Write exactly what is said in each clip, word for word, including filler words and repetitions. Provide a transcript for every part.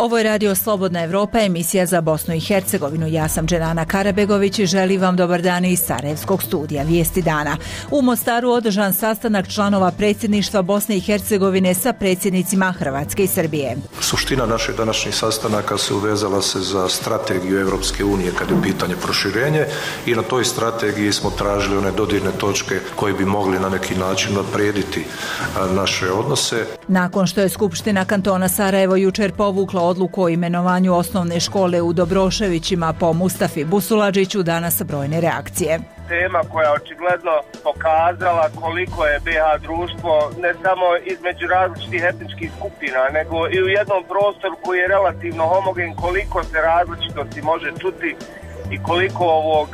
Ovo je Radio Slobodna Evropa, emisija za Bosnu i Hercegovinu. Ja sam Dženana Karabegović i želim vam dobar dan iz Sarajevskog studija Vijesti dana. U Mostaru održan sastanak članova predsjedništva Bosne i Hercegovine sa predsjednicima Hrvatske i Srbije. Suština naših današnjih sastanaka se uvezala se za strategiju Europske unije kad je pitanje proširenje i na toj strategiji smo tražili one dodirne točke koje bi mogli na neki način naprijediti naše odnose. Nakon što je Skupština kantona Sarajevo jučer povukla odluku o imenovanju osnovne škole u Dobroševićima po Mustafi Busuladžiću, danas brojne reakcije. Tema koja očigledno pokazala koliko je be ha društvo ne samo između različitih etničkih skupina, nego i u jednom prostoru koji je relativno homogen, koliko se različitosti može čuti i koliko ovog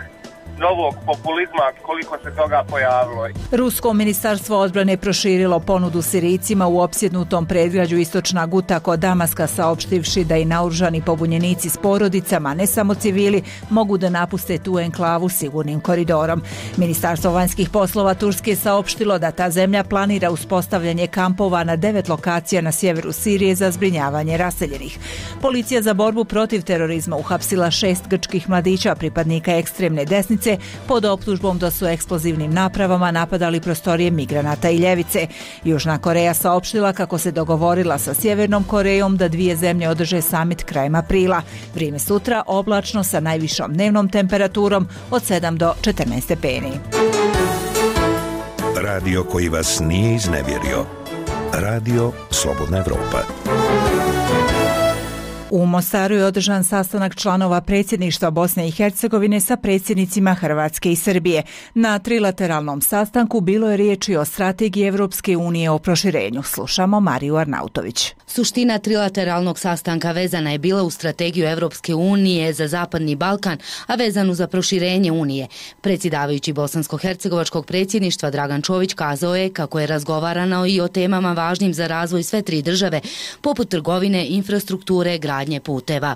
novog populizma, koliko se toga pojavilo. Rusko ministarstvo odbrane proširilo ponudu Sirijcima u opsjednutom predgrađu Istočna Guta kod Damaska, saopštivši da i naoružani pobunjenici s porodicama, ne samo civili, mogu da napuste tu enklavu sigurnim koridorom. Ministarstvo vanjskih poslova Turske je saopštilo da ta zemlja planira uspostavljanje kampova na devet lokacija na sjeveru Sirije za zbrinjavanje raseljenih. Policija za borbu protiv terorizma uhapsila šest grčkih mladića, pripadnika ekstremne desnice, pod optužbom da su eksplozivnim napravama napadali prostorije migranata i ljevice. Južna Koreja saopštila kako se dogovorila sa Sjevernom Korejom da dvije zemlje održe samit krajem aprila. Vrijeme sutra oblačno sa najvišom dnevnom temperaturom od sedam do četrnaest stepeni. Radio koji vas nije iznevjerio. Radio Slobodna Evropa. U Mostaru je održan sastanak članova predsjedništva Bosne i Hercegovine sa predsjednicima Hrvatske i Srbije. Na trilateralnom sastanku bilo je riječi o strategiji Evropske unije o proširenju. Slušamo Mariju Arnautović. Suština trilateralnog sastanka vezana je bila u strategiju Evropske unije za Zapadni Balkan, a vezanu za proširenje unije. Predsjedavajući bosansko-hercegovačkog predsjedništva Dragan Čović kazao je kako je razgovarano i o temama važnim za razvoj sve tri države, poput trgovine, infrastrukture, gradnje puteva.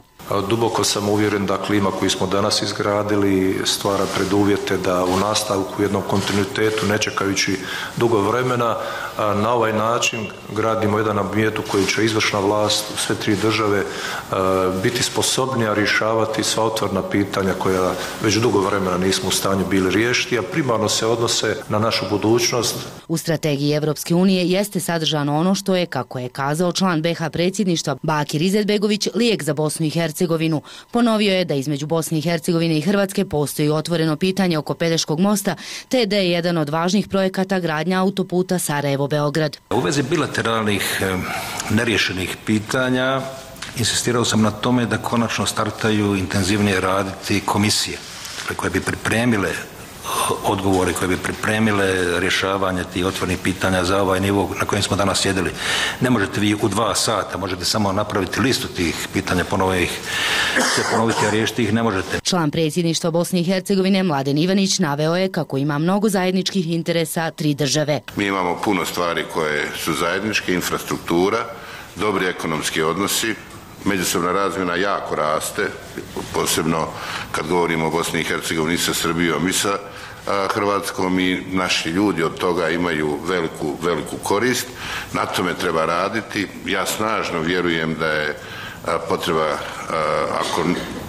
Duboko sam uvjeren da klima koju smo danas izgradili stvara preduvjete da u nastavku u jednom kontinuitetu, ne čekajući dugo vremena, na ovaj način gradimo jedan ambijent u koji će izvršna vlast u sve tri države biti sposobnija rješavati sva otvorena pitanja koja već dugo vremena nismo u stanju bili riješiti, a primarno se odnose na našu budućnost. U strategiji Evropske unije jeste sadržano ono što je, kako je kazao član be ha predsjedništva Bakir Izetbegović, lijek za Bosnu i Hercegovinu. Ponovio je da između Bosne i Hercegovine i Hrvatske postoji otvoreno pitanje oko Pelješkog mosta, te da je jedan od važnih projekata gradnja autoputa Sarajevo-Beograd. U vezi bilateralnih neriješenih pitanja insistirao sam na tome da konačno startaju intenzivnije raditi komisije koje bi pripremile odgovore, koje bi pripremile rješavanje tih otvornih pitanja za ovaj nivo na kojem smo danas sjedili. Ne možete vi u dva sata, možete samo napraviti listu tih pitanja, ponovo ih se ponoviti, a riješiti ih ne možete. Član predsjedništva Bosne i Hercegovine Mladen Ivanić naveo je kako ima mnogo zajedničkih interesa tri države. Mi imamo puno stvari koje su zajedničke, infrastruktura, dobri ekonomski odnosi, međusobna razmjena jako raste, posebno kad govorimo o Bosni i Hercegovini sa Srbijom i sa Hrvatskom, i naši ljudi od toga imaju veliku, veliku korist. Na tome treba raditi. Ja snažno vjerujem da je potreba, ako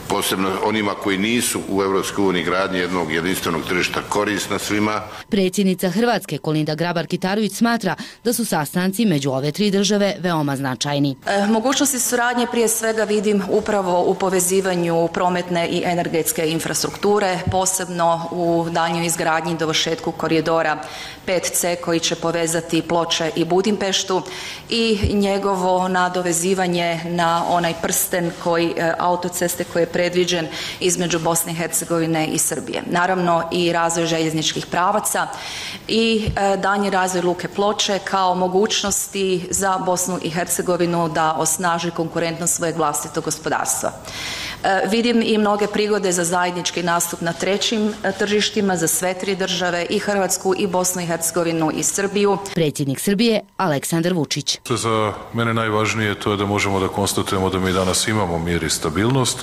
posebno onima koji nisu u Evropskoj uniji, gradnje jednog jedinstvenog tržišta korisna svima. Predsjednica Hrvatske Kolinda Grabar-Kitarović smatra da su sastanci među ove tri države veoma značajni. E, mogućnosti suradnje prije svega vidim upravo u povezivanju prometne i energetske infrastrukture, posebno u daljnjoj izgradnji i dovršetku koridora pet ce koji će povezati Ploče i Budimpeštu i njegovo nadovezivanje na onaj prsten koji autoceste koje je predviđen između Bosne i Hercegovine i Srbije. Naravno i razvoj željezničkih pravaca i e, daljnji razvoj luke Ploče kao mogućnosti za Bosnu i Hercegovinu da osnaži konkurentnost svojeg vlastitog gospodarstva. E, vidim i mnoge prigode za zajednički nastup na trećim e, tržištima za sve tri države, i Hrvatsku i Bosnu i Hercegovinu i Srbiju. Predsjednik Srbije Aleksandar Vučić. Za mene najvažnije to je da možemo da konstatujemo da mi danas imamo mir i stabilnost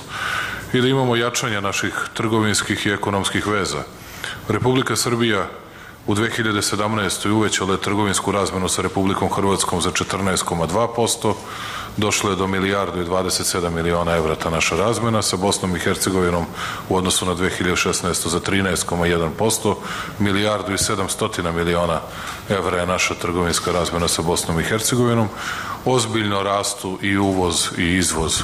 i da imamo jačanje naših trgovinskih i ekonomskih veza. Republika Srbija u dve hiljade sedamnaestoj. uvećale trgovinsku razmenu sa Republikom Hrvatskom za četrnaest zarez dva posto, došlo je do milijardu i dvadeset sedam miliona evra ta naša razmena, sa Bosnom i Hercegovinom u odnosu na dve hiljade šesnaestu. za trinaest zarez jedan posto, milijardu i sedamsto miliona evra je naša trgovinska razmena sa Bosnom i Hercegovinom. Ozbiljno rastu i uvoz i izvoz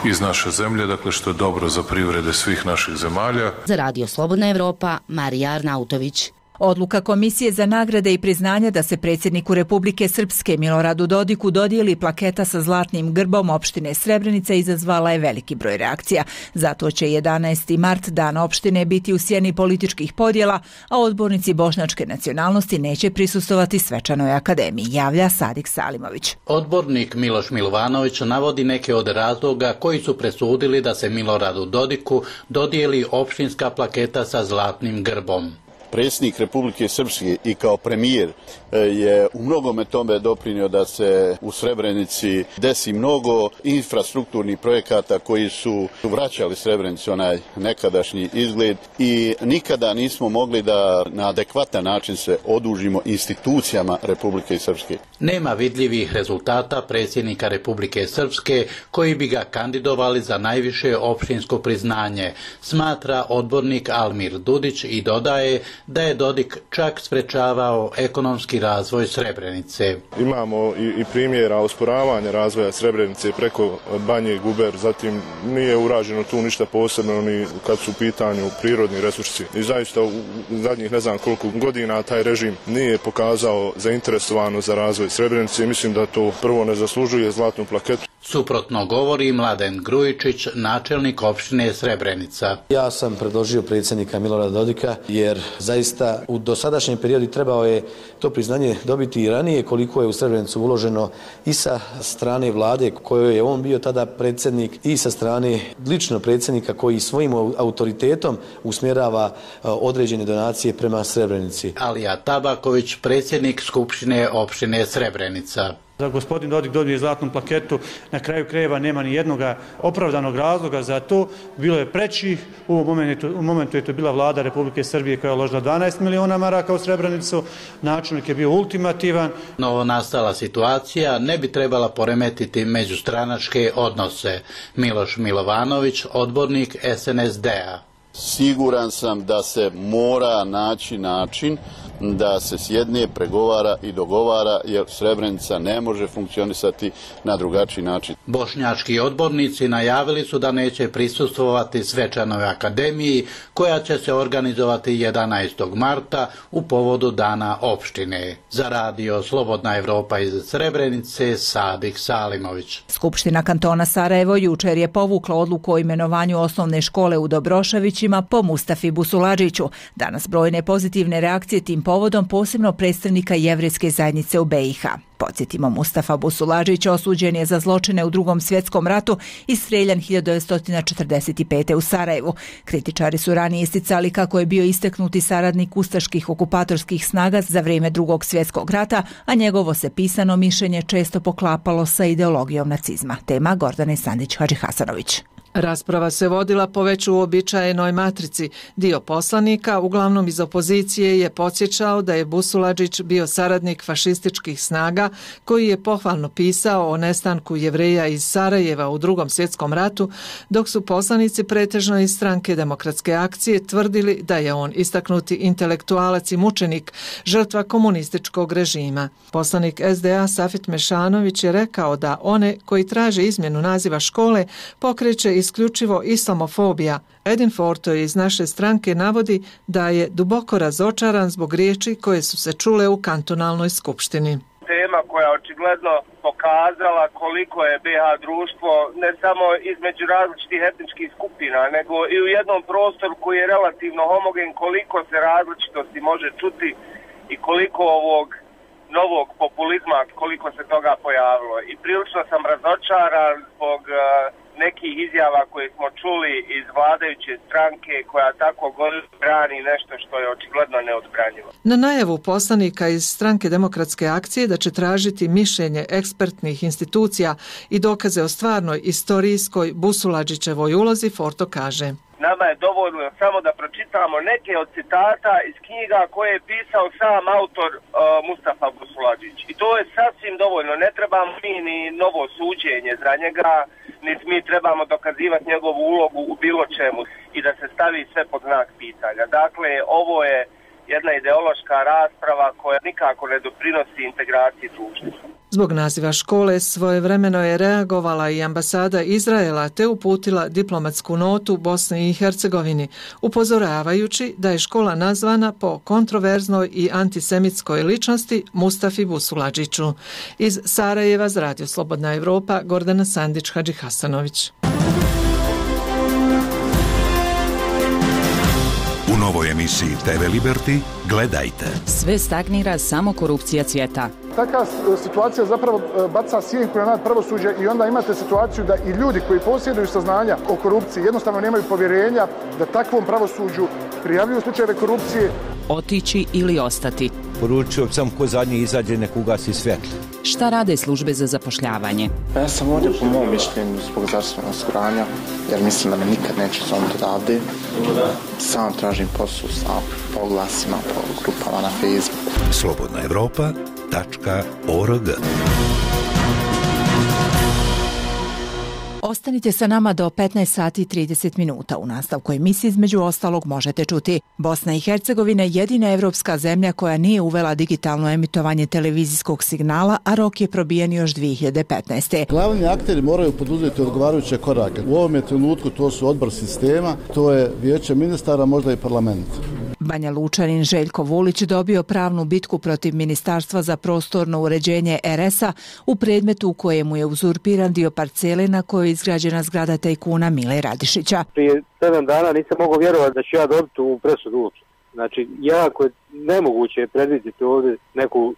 iz naše zemlje, dakle što je dobro za privrede svih naših zemalja. Za Radio Slobodna Evropa, Marija Arnautović. Odluka Komisije za nagrade i priznanja da se predsjedniku Republike Srpske Miloradu Dodiku dodijeli plaketa sa zlatnim grbom opštine Srebrenica izazvala je veliki broj reakcija. Zato će jedanaesti mart dan opštine biti u sjeni političkih podjela, a odbornici bošnjačke nacionalnosti neće prisustovati svečanoj akademiji, javlja Sadik Salimović. Odbornik Miloš Milovanović navodi neke od razloga koji su presudili da se Miloradu Dodiku dodijeli opštinska plaketa sa zlatnim grbom. Predsjednik Republike Srpske i kao premijer je u mnogome tome doprinio da se u Srebrenici desi mnogo infrastrukturnih projekata koji su vraćali Srebrenici onaj nekadašnji izgled i nikada nismo mogli da na adekvatan način se odužimo institucijama Republike Srpske. Nema vidljivih rezultata predsjednika Republike Srpske koji bi ga kandidovali za najviše opštinsko priznanje, smatra odbornik Almir Dudić i dodaje da je Dodik čak sprečavao ekonomski razvoj Srebrenice. Imamo i, i primjera osporavanja razvoja Srebrenice preko Banje Guber, zatim nije urađeno tu ništa posebno ni kad su u pitanju prirodni resursi. I zaista u zadnjih ne znam koliko godina taj režim nije pokazao zainteresovano za razvoj Srebrenice. Mislim da to prvo ne zaslužuje zlatnu plaketu. Suprotno govori Mladen Grujičić, načelnik opštine Srebrenica. Ja sam predložio predsjednika Milorada Dodika jer zaista u dosadašnjem periodu trebao je to priznanje dobiti i ranije koliko je u Srebrenicu uloženo i sa strane vlade kojoj je on bio tada predsjednik i sa strane lično predsjednika koji svojim autoritetom usmjerava određene donacije prema Srebrenici. Alija Tabaković, predsjednik Skupštine opštine Srebrenica. Da gospodin Dodik dobije zlatnu plaketu, na kraju krajeva nema ni jednog opravdanog razloga za to. Bilo je preći, u momentu, u momentu je to bila vlada Republike Srbije koja je uložila dvanaest miliona maraka u Srebrenicu, načelnik je bio ultimativan. Novo nastala situacija ne bi trebala poremetiti međustranačke odnose. Miloš Milovanović, odbornik S N S D-a. Siguran sam da se mora naći način da se sjedne, pregovara i dogovara, jer Srebrenica ne može funkcionisati na drugačiji način. Bošnjački odbornici najavili su da neće prisustvovati svečanoj akademiji koja će se organizovati jedanaestog marta u povodu dana opštine. Za Radio Slobodna Evropa iz Srebrenice, Sadik Salimović. Skupština kantona Sarajevo jučer je povukla odluku o imenovanju osnovne škole u Dobroševićima po Mustafi Busuladžiću. Danas brojne pozitivne reakcije tim povodom, posebno predstavnika jevrejske zajednice u B i H. Podsjetimo, Mustafa Busuladžić osuđen je za zločine u Drugom svjetskom ratu i streljan hiljadu devetsto četrdeset pete. u Sarajevu. Kritičari su ranije isticali kako je bio istaknuti saradnik ustaških okupatorskih snaga za vrijeme Drugog svjetskog rata, a njegovo se pisano mišljenje često poklapalo sa ideologijom nacizma. Tema Gordane Sandić-Hadžihasanović. Rasprava se vodila po već uobičajenoj matrici. Dio poslanika, uglavnom iz opozicije, je podsjećao da je Busuladžić bio saradnik fašističkih snaga koji je pohvalno pisao o nestanku Jevreja iz Sarajeva u Drugom svjetskom ratu, dok su poslanici pretežno iz Stranke demokratske akcije tvrdili da je on istaknuti intelektualac i mučenik, žrtva komunističkog režima. Poslanik S D A Safet Mešanović je rekao da one koji traže izmjenu naziva škole pokreće isključivo islamofobija. Edin Forto iz naše stranke navodi da je duboko razočaran zbog riječi koje su se čule u kantonalnoj skupštini. Tema koja očigledno pokazala koliko je B H društvo ne samo između različitih etničkih skupina, nego i u jednom prostoru koji je relativno homogen, koliko se različitosti može čuti i koliko ovog novog populizma, koliko se toga pojavilo. I prilično sam razočaran zbog nekih izjava koje smo čuli iz vladajuće stranke koja tako brani nešto što je očigledno neodbranjivo. Na najavu poslanika iz Stranke demokratske akcije da će tražiti mišljenje ekspertnih institucija i dokaze o stvarnoj istorijskoj Busuladžićevoj ulozi, Forto kaže: Nama je dovoljno samo da pročitamo neke od citata iz knjiga koje je pisao sam autor uh, Mustafa Busuladžić. I to je sasvim dovoljno. Ne trebamo mi ni novo suđenje za njega, niti mi trebamo dokazivati njegovu ulogu u bilo čemu i da se stavi sve pod znak pitanja. Dakle, ovo je jedna ideološka rasprava koja nikako ne doprinosi integraciji društva. Zbog naziva škole svojevremeno je reagovala i ambasada Izraela te uputila diplomatsku notu Bosni i Hercegovini, upozoravajući da je škola nazvana po kontroverznoj i antisemitskoj ličnosti Mustafi Busuladžiću. Iz Sarajeva za Radio Slobodna Evropa, Gordana Sandić Hadžihasanović. U novoj emisiji te ve Liberty gledajte. Sve stagnira, samo korupcija cvjeta. Takva situacija zapravo baca sjenku na pravosuđe i onda imate situaciju da i ljudi koji posjeduju saznanja o korupciji jednostavno nemaju povjerenja da takvom pravosuđu prijavljuju slučajeve korupcije. Otići ili ostati. Poručio sam ko zadnji izađe nek ugasi svjetlo. Šta rade službe za zapošljavanje? Ja sam ovdje po mom mišljenju zbog zdravstvenog osiguranja, jer mislim da me nikad neće zovnuti odavde. Sam tražim posao sa oglasima po grupama na Facebooku. Slobodna Evropa tačka org. Ostanite sa nama do petnaest sati i trideset minuta. U nastavku emisije između ostalog možete čuti: Bosna i Hercegovina je jedina evropska zemlja koja nije uvela digitalno emitovanje televizijskog signala, a rok je probijen još dvije hiljade petnaeste. Glavni akteri moraju poduzeti odgovarajuće korake. U ovom trenutku to su odbor sistema, to je vijeće ministara, možda i parlament. Banja Lučanin Željko Vulić dobio pravnu bitku protiv Ministarstva za prostorno uređenje er es a u predmetu u kojemu je uzurpiran dio parcele na kojoj je izgrađena zgrada tajkuna Mile Radišića. Prije sedam dana nisam mogao vjerovati da ću ja dobiti u presudu uopće. Znači, jako je nemoguće predvidjeti ovdje neku,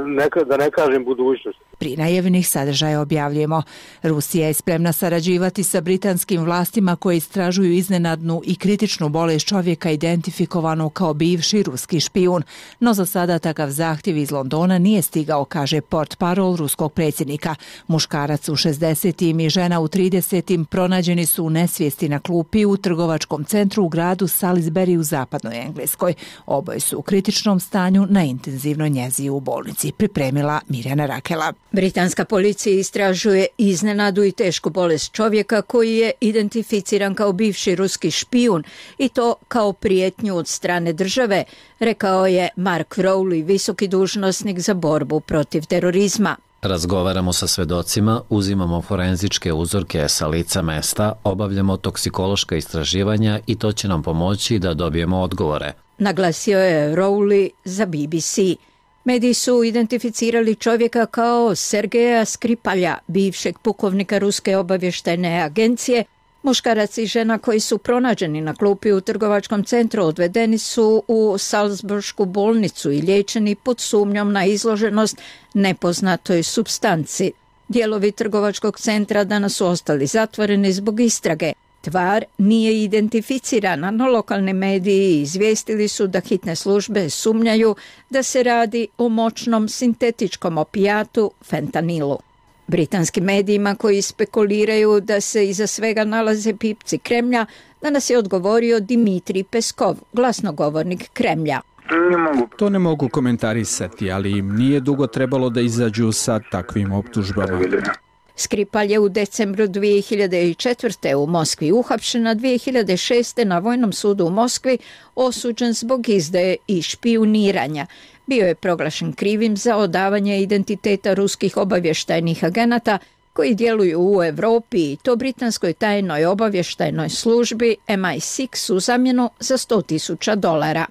neka, da ne kažem, budućnost. Pri najavljenih sadržaja objavljujemo: Rusija je spremna sarađivati sa britanskim vlastima koje istražuju iznenadnu i kritičnu bolest čovjeka identifikovanu kao bivši ruski špijun. No za sada takav zahtjev iz Londona nije stigao, kaže portparol ruskog predsjednika. Muškarac u šezdesetim i žena u tridesetim pronađeni su u nesvijesti na klupi u trgovačkom centru u gradu Salisbury u zapadnoj Engleskoj. Oboje su u kritičnom stanju na intenzivnoj njezi u bolnici, pripremila Mirjana Rakela. Britanska policija istražuje iznenadu i tešku bolest čovjeka koji je identificiran kao bivši ruski špijun i to kao prijetnju od strane države, rekao je Mark Rowley, visoki dužnosnik za borbu protiv terorizma. Razgovaramo sa svedocima, uzimamo forenzičke uzorke sa lica mesta, obavljamo toksikološka istraživanja i to će nam pomoći da dobijemo odgovore. Naglasio je Rowley za B B C. Mediji su identificirali čovjeka kao Sergeja Skripalja, bivšeg pukovnika Ruske obavještajne agencije. Muškarac i žena koji su pronađeni na klupi u trgovačkom centru odvedeni su u Salzburšku bolnicu i liječeni pod sumnjom na izloženost nepoznatoj supstanci. Dijelovi trgovačkog centra danas su ostali zatvoreni zbog istrage. Tvar nije identificirana, no lokalni mediji izvijestili su da hitne službe sumnjaju da se radi o moćnom sintetičkom opijatu fentanilu. Britanskim medijima koji spekuliraju da se iza svega nalaze pipci Kremlja, danas je odgovorio Dimitrij Peskov, glasnogovornik Kremlja. Ne mogu. To ne mogu komentarisati, ali im nije dugo trebalo da izađu sa takvim optužbama. Skripal je u decembru dvije hiljade četvrte u Moskvi uhapšen, a dvije hiljade šeste na Vojnom sudu u Moskvi osuđen zbog izdaje i špijuniranja. Bio je proglašen krivim za odavanje identiteta ruskih obavještajnih agenata koji djeluju u Europi i to britanskoj tajnoj obavještajnoj službi em i šest u zamjenu za sto tisuća dolara.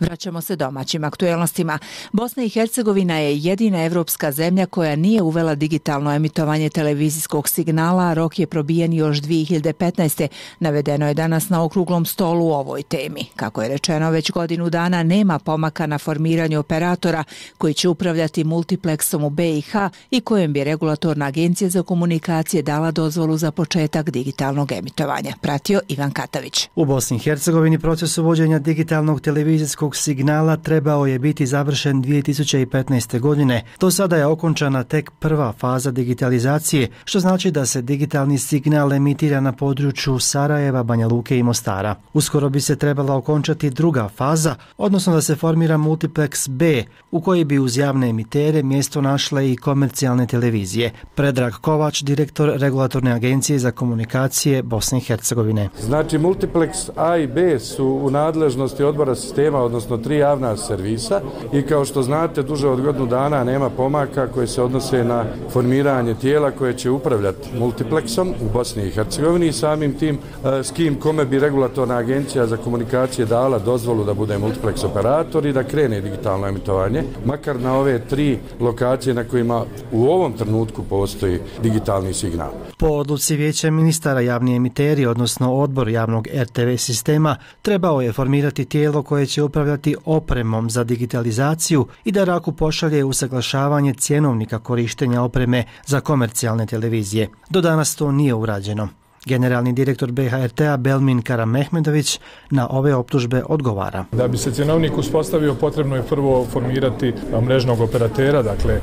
Vraćamo se domaćim aktuelnostima. Bosna i Hercegovina je jedina evropska zemlja koja nije uvela digitalno emitovanje televizijskog signala, a rok je probijen još dvije hiljade petnaeste. Navedeno je danas na okruglom stolu u ovoj temi. Kako je rečeno, već godinu dana nema pomaka na formiranju operatora koji će upravljati multipleksom u be i ha i kojem bi regulatorna agencija za komunikacije dala dozvolu za početak digitalnog emitovanja. Pratio Ivan Katavić. U Bosni i Hercegovini proces uvođenja digitalnog televizijskog prvog signala trebao je biti završen dvije tisuće petnaeste. godine. Do sada je okončana tek prva faza digitalizacije, što znači da se digitalni signal emitira na području Sarajeva, Banja Luke i Mostara. Uskoro bi se trebala okončati druga faza, odnosno da se formira multiplex B, u koji bi uz javne emitere mjesto našle i komercijalne televizije. Predrag Kovač, direktor Regulatorne agencije za komunikacije Bosne i Hercegovine. Znači, multiplex A i B su u nadležnosti odbora sistema, odnosno tri javna servisa, i kao što znate, duže od godinu dana nema pomaka koje se odnose na formiranje tijela koje će upravljati multiplexom u Bosni i Hercegovini i samim tim s kim kome bi Regulatorna agencija za komunikacije dala dozvolu da bude multiplex operator i da krene digitalno emitovanje, makar na ove tri lokacije na kojima u ovom trenutku postoji digitalni signal. Po odluci Vijeća ministara javni emiteri, odnosno odbor javnog R T V sistema, trebao je formirati tijelo koje će upravljati opremom za digitalizaciju i da RAKU pošalje usaglašavanje cjenovnika korištenja opreme za komercijalne televizije. Do danas to nije urađeno. Generalni direktor B H R T-a Belmin Karamehmedović na ove optužbe odgovara. Da bi se cjenovnik uspostavio, potrebno je prvo formirati mrežnog operatera, dakle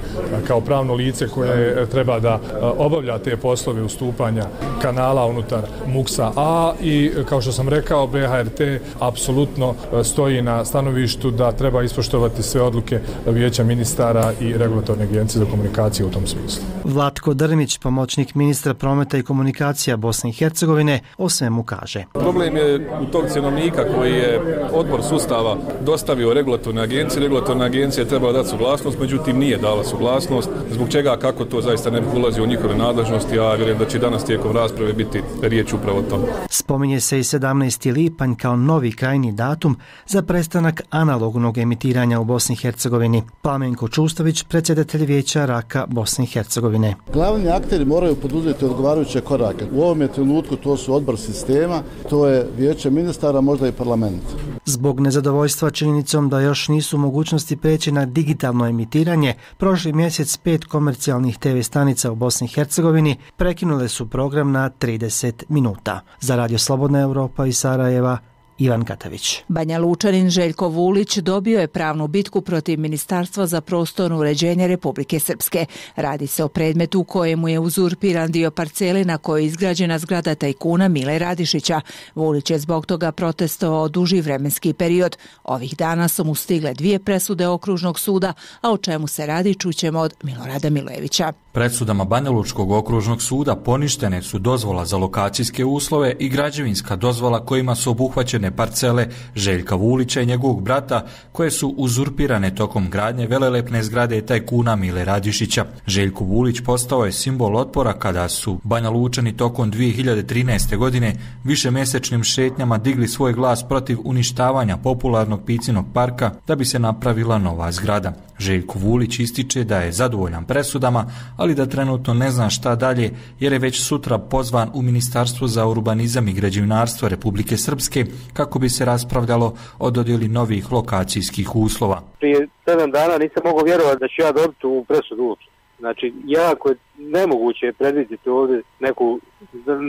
kao pravno lice koje treba da obavlja te poslove ustupanja kanala unutar muksa A, i kao što sam rekao, B H R T apsolutno stoji na stanovištu da treba ispoštovati sve odluke Vijeća ministara i Regulatorne agencije za komunikacije u tom smislu. Vlatko Drmić, pomoćnik ministra prometa i komunikacija Bosne i Hercegovine, o svemu kaže. Problem je u tog cjenovnika koji je odbor sustava dostavio Regulatorne agencije. Regulatorna agencija je trebala dati suglasnost, međutim nije dala suglasnost. Zbog čega, kako to zaista ne ulazi u njihove nadležnosti, a vjerujem da će danas tijekom rasprave biti riječ upravo o tome. Spominje se i sedamnaesti lipanj kao novi krajnji datum za prestanak analognog emitiranja u Bosni i Hercegovini. Plamenko Čustović, predsjedatelj Vijeća Raka Bosne i Hercegovine. Glavni akteri moraju poduzeti odgovarajuće korake. U ovom trenutku to su odbor sistema, to je Vijeće ministara, možda i parlament. Zbog nezadovoljstva činjenicom da još nisu mogućnosti preći na digitalno emitiranje, prošli mjesec pet komercijalnih te ve stanica u Bosni i Hercegovini prekinule su program na trideset minuta. Za Radio Slobodna Europa iz Sarajeva, Ivan Katavić. Banja Lučanin Željko Vulić dobio je pravnu bitku protiv Ministarstva za prostorno uređenje Republike Srpske. Radi se o predmetu u kojemu je uzurpiran dio parcele na kojoj je izgrađena zgrada tajkuna Mile Radišića. Vulić je zbog toga protestovao duži vremenski period. Ovih dana su mu stigle dvije presude okružnog suda, a o čemu se radi čućemo od Milorada Milojevića. Presudama Banja Lučkog okružnog suda poništene su dozvola za lokacijske uslove i građevinska dozvola kojima su obuhvaćene parcele Željka Vulića i njegovog brata, koje su uzurpirane tokom gradnje velelepne zgrade tajkuna Mile Radišića. Željko Vulić postao je simbol otpora kada su Banja Lučani tokom dvije hiljade trinaeste. godine višemjesečnim šetnjama digli svoj glas protiv uništavanja popularnog Picinog parka da bi se napravila nova zgrada. Željko Vulić ističe da je zadovoljan presudama, ali da trenutno ne zna šta dalje, jer je već sutra pozvan u Ministarstvo za urbanizam i građevinarstvo Republike Srpske kako bi se raspravljalo o dodjeli novih lokacijskih uslova. Prije sedam dana nisam mogao vjerovati da ću ja dobiti u presudu. Znači, jako je nemoguće predvidjeti ovdje neku,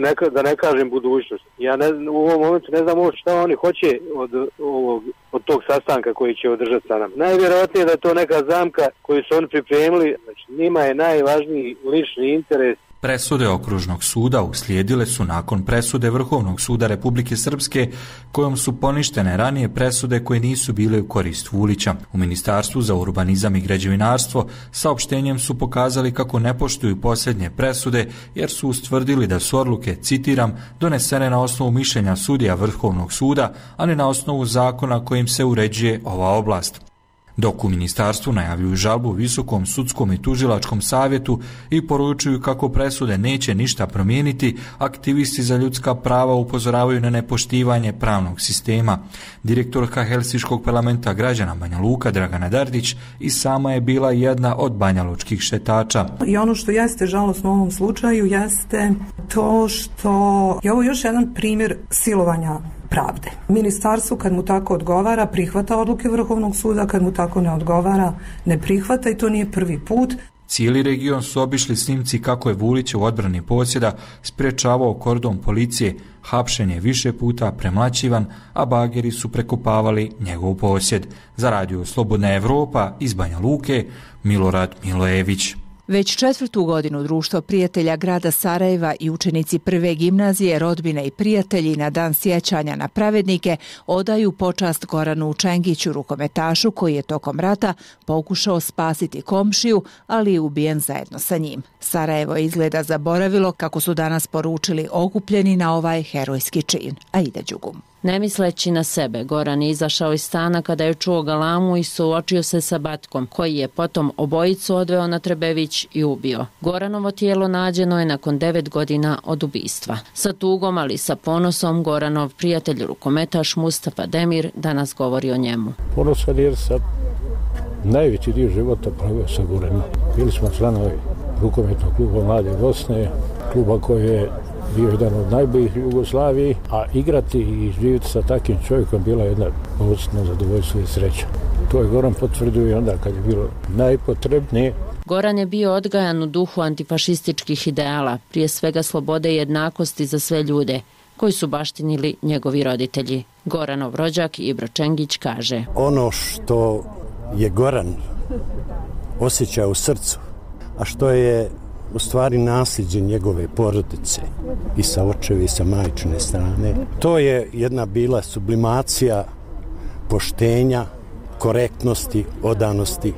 neka, da ne kažem budućnost. Ja ne, u ovom momentu ne znam ovo šta oni hoće od, ovog, od tog sastanka koji će održati sa nam. Najvjerojatnije da je to neka zamka koju su oni pripremili. Znači, njima je najvažniji lični interes. Presude okružnog suda uslijedile su nakon presude Vrhovnog suda Republike Srpske, kojom su poništene ranije presude koje nisu bile u korist Vulića. U Ministarstvu za urbanizam i građevinarstvo saopštenjem su pokazali kako ne poštuju posljednje presude, jer su ustvrdili da su odluke, citiram, donesene na osnovu mišljenja sudija Vrhovnog suda, a ne na osnovu zakona kojim se uređuje ova oblast. Dok u ministarstvu najavljuju žalbu Visokom sudskom i tužilačkom savjetu i poručuju kako presude neće ništa promijeniti, aktivisti za ljudska prava upozoravaju na nepoštivanje pravnog sistema. Direktorka Helsinškog parlamenta građana Banja Luka Dragana Dardić i sama je bila jedna od banjalučkih šetača. I ono što jeste žalosno u ovom slučaju jeste to što je ovo još jedan primjer silovanja pravde. Ministarstvo kad mu tako odgovara prihvata odluke Vrhovnog suda, kad mu tako ne odgovara ne prihvata, i to nije prvi put. Cijeli region su obišli snimci kako je Vulić u odbrani posjeda sprečavao kordon policije, hapšen je više puta premlaćivan, a bageri su prekopavali njegov posjed. Za radio Slobodna Evropa iz Banja Luke, Milorad Milojević. Već četvrtu godinu Društvo prijatelja grada Sarajeva i učenici prve gimnazije, rodbine i prijatelji na dan sjećanja na pravednike odaju počast Goranu Čengiću, rukometašu koji je tokom rata pokušao spasiti komšiju, ali je ubijen zajedno sa njim. Sarajevo izgleda zaboravilo, kako su danas poručili okupljeni na ovaj herojski čin. Aida Đugum. Ne misleći na sebe, Goran je izašao iz stana kada je čuo galamu i suočio se sa Batkom, koji je potom obojicu odveo na Trebević i ubio. Goranovo tijelo nađeno je nakon devet godina od ubistva. Sa tugom, ali sa ponosom, Goranov prijatelj rukometaš Mustafa Demir danas govori o njemu. Ponosan jer sam najveći dio života proveo sa Goranom. Bili smo članovi rukometnog kluba Mlade Bosne, kluba koji je bio jedan od najboljih u Jugoslaviji, a igrati i živjeti sa takvim čovjekom bila jedna posebno zadovoljstvo i sreća. To je Goran potvrdio i onda kad je bilo najpotrebnije. Goran je bio odgajan u duhu antifašističkih ideala, prije svega slobode i jednakosti za sve ljude, koji su baštinili njegovi roditelji. Goranov rođak Ibro Čengić kaže: Ono što je Goran osjećao u srcu, a što je u stvari nasljeđe njegove porodice i sa očeve i sa majčine strane, to je jedna bila sublimacija poštenja, korektnosti, odanosti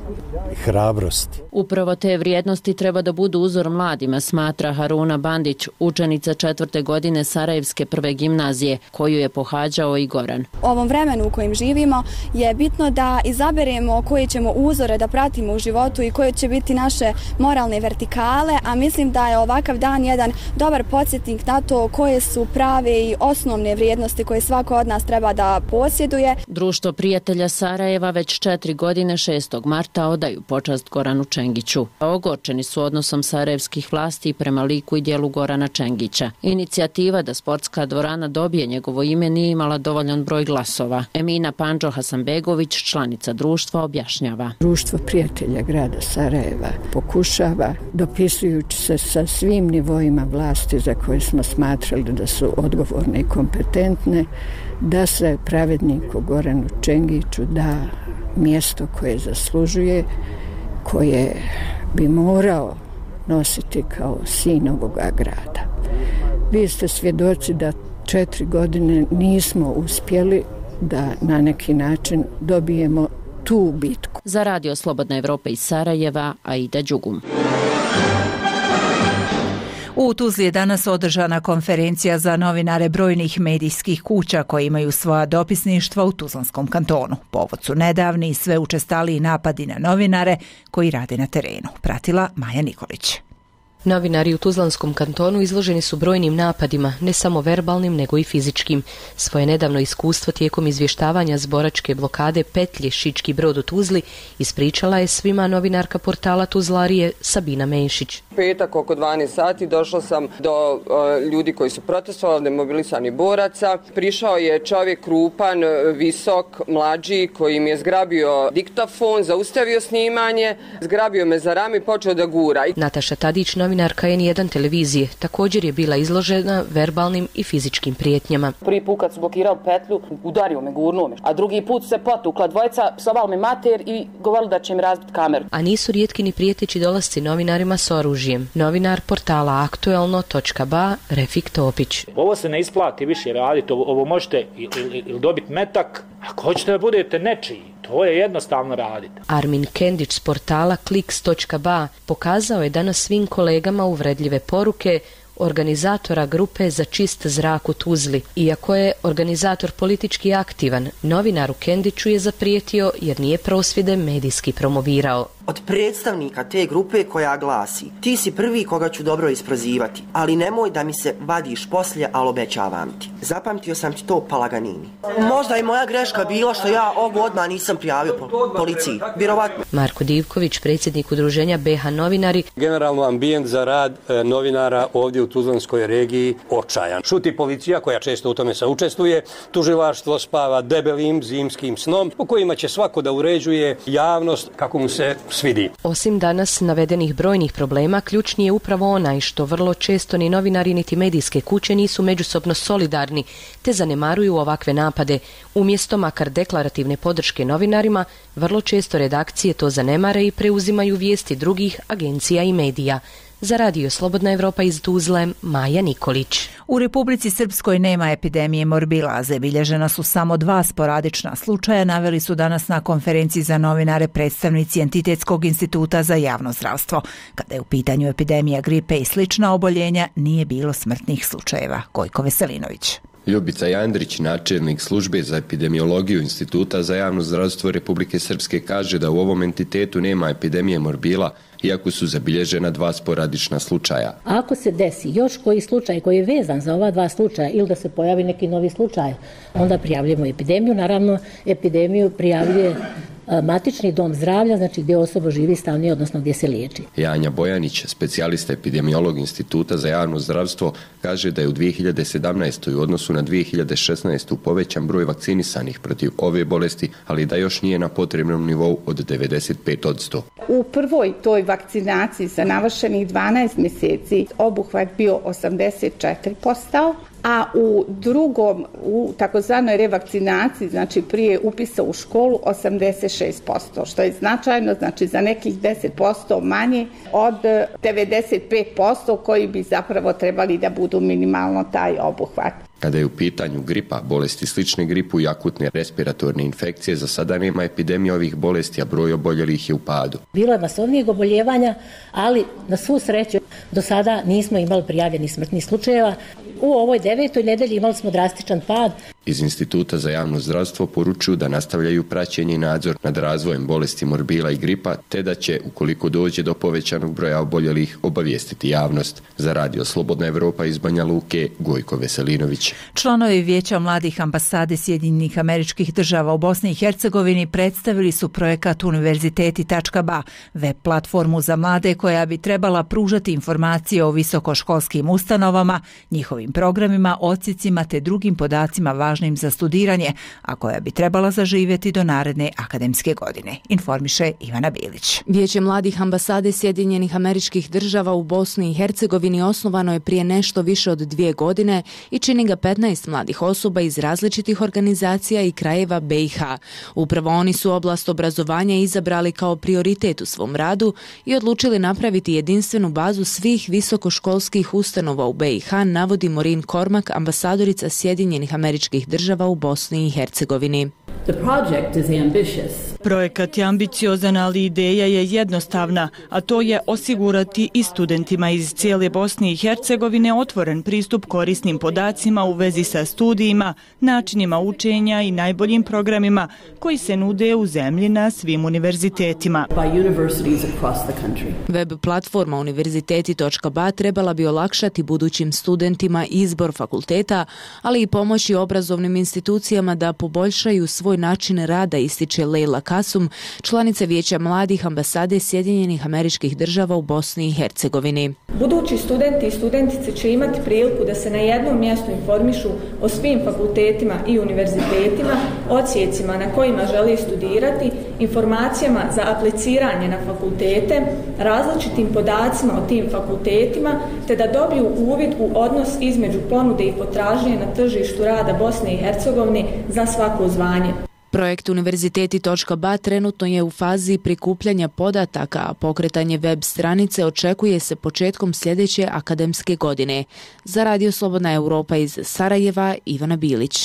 i hrabrosti. Upravo te vrijednosti treba da budu uzor mladima, smatra Haruna Bandić, učenica četvrte godine Sarajevske prve gimnazije, koju je pohađao i Goran. U ovom vremenu u kojem živimo je bitno da izaberemo koje ćemo uzore da pratimo u životu i koje će biti naše moralne vertikale, a mislim da je ovakav dan jedan dobar podsjetnik na to koje su prave i osnovne vrijednosti koje svako od nas treba da posjeduje. Društvo prijatelja Sarajeva već četiri godine šestog marta odaju počast Goranu Čengiću. Ogorčeni su odnosom sarajevskih vlasti prema liku i dijelu Gorana Čengića. Inicijativa da sportska dvorana dobije njegovo ime nije imala dovoljan broj glasova. Emina Pandžo Hasanbegović, članica društva, objašnjava. Društvo prijatelja grada Sarajeva pokušava, dopisujući se sa svim nivoima vlasti za koje smo smatrali da su odgovorne i kompetentne, da se pravedniku Goranu Čengiću da mjesto koje zaslužuje, koje bi morao nositi kao sin ovoga grada. Vi ste svjedoci da četiri godine nismo uspjeli da na neki način dobijemo tu bitku. Za radio Slobodna Evropa iz Sarajeva, Aida Đugum. U Tuzli je danas održana konferencija za novinare brojnih medijskih kuća koji imaju svoja dopisništva u Tuzlanskom kantonu. Povod su nedavni i sve učestaliji napadi na novinare koji rade na terenu. Pratila Maja Nikolić. Novinari u Tuzlanskom kantonu izloženi su brojnim napadima, ne samo verbalnim, nego i fizičkim. Svoje nedavno iskustvo tijekom izvještavanja zboračke blokade petlje Šički Brod u Tuzli ispričala je svima novinarka portala Tuzlarije Sabina Menšić. Petak oko dvanaest sati došla sam do uh, ljudi koji su protestovali, demobilisani boraca. Prišao je čovjek krupan, visok, mlađi, koji mi je zgrabio diktafon, zaustavio snimanje, zgrabio me za rame i počeo da gura. Nataša Tadić, novinarka en jedan televizije, također je bila izložena verbalnim i fizičkim prijetnjama. Prvi put kad su blokirali petlju, udario me, gurnuo me, a drugi put se potukla dvojica, psovali me mater i govorili da će im razbiti kameru. A nisu rijetki ni prijeteći dolasci novinarima s oružjem. Novinar portala aktuelno točka ba Refik Topić. Ovo se ne isplati više raditi, ovo, ovo možete ili, ili dobiti metak, ako hoćete da budete nečiji. To je jednostavno raditi. Armin Kendić s portala kliks točka ba pokazao je danas svim kolegama uvredljive poruke organizatora grupe za čist zrak u Tuzli. Iako je organizator politički aktivan, novinaru Kendiću je zaprijetio jer nije prosvjede medijski promovirao. Od predstavnika te grupe koja glasi: ti si prvi koga ću dobro isprozivati, ali nemoj da mi se vadiš poslije, ali obećavam ti. Zapamtio sam ti to, Palaganini. Možda je moja greška bila što ja ovo odmah nisam prijavio po policiji. Vjerovatno. Marko Divković, predsjednik udruženja B H Novinari. Generalno ambijent za rad e, novinara ovdje u Tuzlanskoj regiji očajan. Šuti policija koja često u tome saučestvuje, tužilaštvo spava debelim zimskim snom u kojima će svako da uređuje javnost kako mu se svidi. Osim danas navedenih brojnih problema, ključni je upravo onaj što vrlo često ni novinari niti medijske kuće nisu međusobno solidarni, te zanemaruju ovakve napade. Umjesto makar deklarativne podrške novinarima, vrlo često redakcije to zanemare i preuzimaju vijesti drugih agencija i medija. Za Radio Slobodna Evropa iz Tuzle, Maja Nikolić. U Republici Srpskoj nema epidemije morbilaze. Bilježena su samo dva sporadična slučaja, naveli su danas na konferenciji za novinare predstavnici Entitetskog instituta za javno zdravstvo. Kada je u pitanju epidemija gripe i slična oboljenja, nije bilo smrtnih slučajeva. Gojko Veselinović. Ljubica Jandrić, načelnik službe za epidemiologiju Instituta za javno zdravstvo Republike Srpske, kaže da u ovom entitetu nema epidemije morbila, iako su zabilježena dva sporadična slučaja. Ako se desi još koji slučaj koji je vezan za ova dva slučaja ili da se pojavi neki novi slučaj, onda prijavljujemo epidemiju. Naravno, epidemiju prijavljuje matični dom zdravlja, znači gdje osoba živi stalnije, odnosno gdje se liječi. Janja Bojanić, specijalista epidemiolog Instituta za javno zdravstvo, kaže da je u dvije hiljade sedamnaestoj u odnosu na dvije hiljade šesnaestu povećan broj vakcinisanih protiv ove bolesti, ali da još nije na potrebnom nivou od devedeset pet posto. U prvoj toj vakcinaciji za navršenih dvanaest mjeseci obuhvat bio osamdeset četiri posto, a u drugom, u takozvanoj revakcinaciji, znači prije upisa u školu, osamdeset šest posto, što je značajno, znači za nekih deset posto manje od devedeset pet posto koji bi zapravo trebali da budu minimalno taj obuhvat. Kada je u pitanju gripa, bolesti slične gripu i akutne respiratorne infekcije, za sada nema epidemije ovih bolesti, a broj oboljelih je u padu. Bilo je masovnijeg oboljevanja, ali na svu sreću do sada nismo imali prijavljenih smrtnih slučajeva. U ovoj devetoj nedelji imali smo drastičan pad. Iz Instituta za javno zdravstvo poručuju da nastavljaju praćenje i nadzor nad razvojem bolesti morbila i gripa, te da će, ukoliko dođe do povećanog broja oboljelih, obavijestiti javnost. Za Radio Slobodna Evropa iz Banja Luke, Gojko Veselinović. Članovi Vijeća mladih ambasade Sjedinjenih Američkih Država u Bosni i Hercegovini predstavili su projekat univerziteti tačka ba, web platformu za mlade koja bi trebala pružati informacije o visokoškolskim ustanovama, njihovim programima, odsjecima te drugim podacima važnim za studiranje, a koja bi trebala zaživjeti do naredne akademske godine, informiše Ivana Bilić. Vijeće mladih ambasade Sjedinjenih Američkih Država u Bosni i Hercegovini osnovano je prije nešto više od dvije godine i čini ga petnaest mladih osoba iz različitih organizacija i krajeva be i ha. Upravo oni su oblast obrazovanja izabrali kao prioritet u svom radu i odlučili napraviti jedinstvenu bazu svih visokoškolskih ustanova u be i ha, navodi Maureen Cormack, ambasadorica Sjedinjenih Američkih Država u Bosni i Hercegovini. Projekat je ambiciozan, ali ideja je jednostavna, a to je osigurati i studentima iz cijele Bosne i Hercegovine otvoren pristup korisnim podacima u vezi sa studijima, načinima učenja i najboljim programima koji se nude u zemlji na svim univerzitetima. Web platforma univerziteti tačka ba trebala bi olakšati budućim studentima izbor fakulteta, ali i pomoći obrazovnim institucijama da poboljšaju svoj način rada, ističe Leila Kasum, članica Vijeća mladih ambasade Sjedinjenih Američkih Država u Bosni i Hercegovini. Budući studenti i studentice će imati priliku da se na jednom mjestu informišu o svim fakultetima i univerzitetima, odsjecima na kojima žele studirati, informacijama za apliciranje na fakultete, različitim podacima o tim fakultetima, te da dobiju uvid u odnos između ponude i potražnje na tržištu rada Bosne i Hercegovine za svako zvanje. Projekt univerziteti tačka ba trenutno je u fazi prikupljanja podataka, a pokretanje web stranice očekuje se početkom sljedeće akademske godine. Za Radio Slobodna Evropa iz Sarajeva, Ivana Bilić.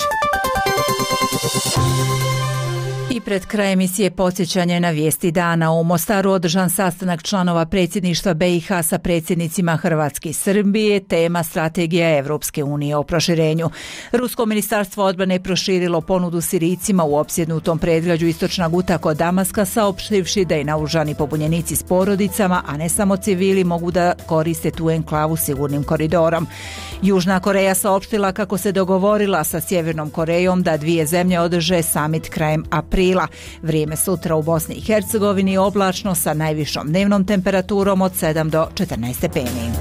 I pred kraj emisije podsjećanje na vijesti dana. U Mostaru održan sastanak članova predsjedništva be i ha sa predsjednicima Hrvatske i Srbije, tema strategija Evropske unije o proširenju. Rusko ministarstvo odbrane proširilo ponudu Sirijcima u opsjednutom predgrađu Istočna Guta kod Damaska, saopštivši da i naoružani pobunjenici s porodicama, a ne samo civili, mogu da koriste tu enklavu sigurnim koridorom. Južna Koreja saopštila kako se dogovorila sa Sjevernom Korejom da dvije zemlje održe samit krajem aprila. Vrijeme sutra u Bosni i Hercegovini oblačno sa najvišom dnevnom temperaturom od sedam do četrnaest stepeni.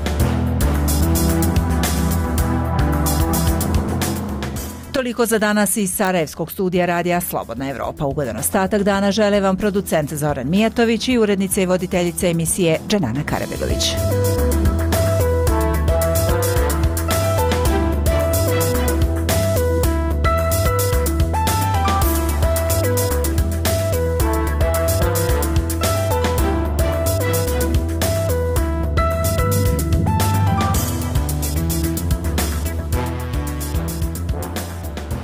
Toliko za danas iz Sarajevskog studija radija Slobodna Evropa. Ugodan ostatak dana žele vam producent Zoran Mijatović i urednica i voditeljica emisije Dženana Karabegović.